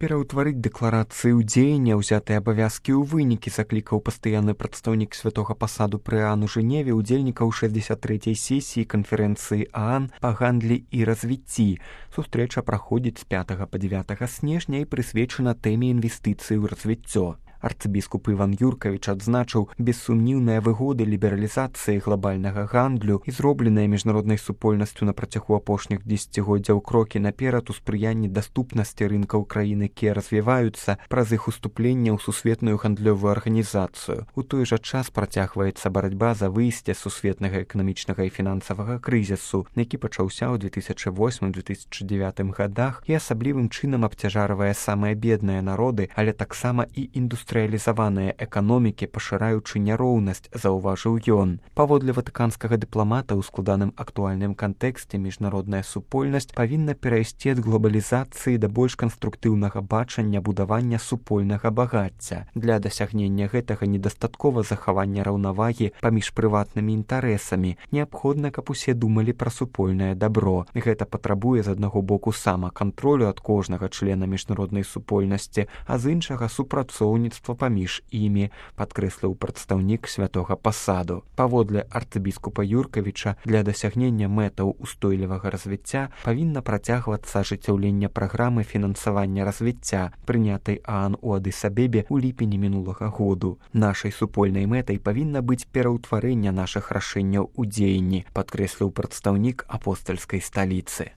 пераўтварыць дэкларацыі ў дзеянне, ўзятыя абавязкі ў вынікі, заклікаў пастаянны прадстаўнік святога пасаду пры ААН у Жэневе удзельнікаў 63-й сесіі канферэнцыі ААН па гандлі і развіцці. Сустрэча праходзіць з 5 па 9 снежня і прысвечана тэме інвестыцый у развіццё. Арцыбіскуп Іван Юркавіч адзначыў бессумніўныя выгоды лібералізацыі глобальнага гандлю і зробленыя міжнароднай супольнасцю на працягу апошніх дзесяцігоддзяў крокі наперад у спрыянні даступнасці рынкаў краін, якія развіваюцца праз іх уступленне ў сусветную гандлёвую арганізацыю. У той жа час працягваецца барацьба за выйсце з сусветнага эканамічнага і фінансавага крызісу, які пачаўся ў 2008-2009 годах і асаблівым чынам абцяжарвае самыя бедныя народы, але таксама і індустрыялізаваныя эканомікі, пашыраючы няроўнасць, заўважыў ён. Паводле ватыканскага дыпламата ў складаным актуальным кантэксце міжнародная супольнасць павінна перайсці ад глобалізацыі да больш канструктыўнага бачання будавання супольнага багацця. Для дасягнення гэтага недастаткова захавання раўнавагі паміж прыватнымі інтарэсамі. Неабходна, каб усе думалі пра супольнае дабро. Гэта патрабуе з аднаго боку самакантролю ад кожнага члена міжнароднай супольнасці, а з іншага супрацоўніцтва паміж імі, падкрэсліў прадстаўнік святога пасаду. Паводле арцыбіскупа Юркавіча, для дасягнення мэтаў устойлівага развіцця павінна працягвацца ажыццяўленне праграмы фінансавання развіцця, прынятай ААН у Адыс-Абебе ў ліпені мінулага году. Нашай супольнай мэтай павінна быць пераўтварэнне нашых рашэнняў у дзеянні, падкрэсліў прадстаўнік апостальскай сталіцы.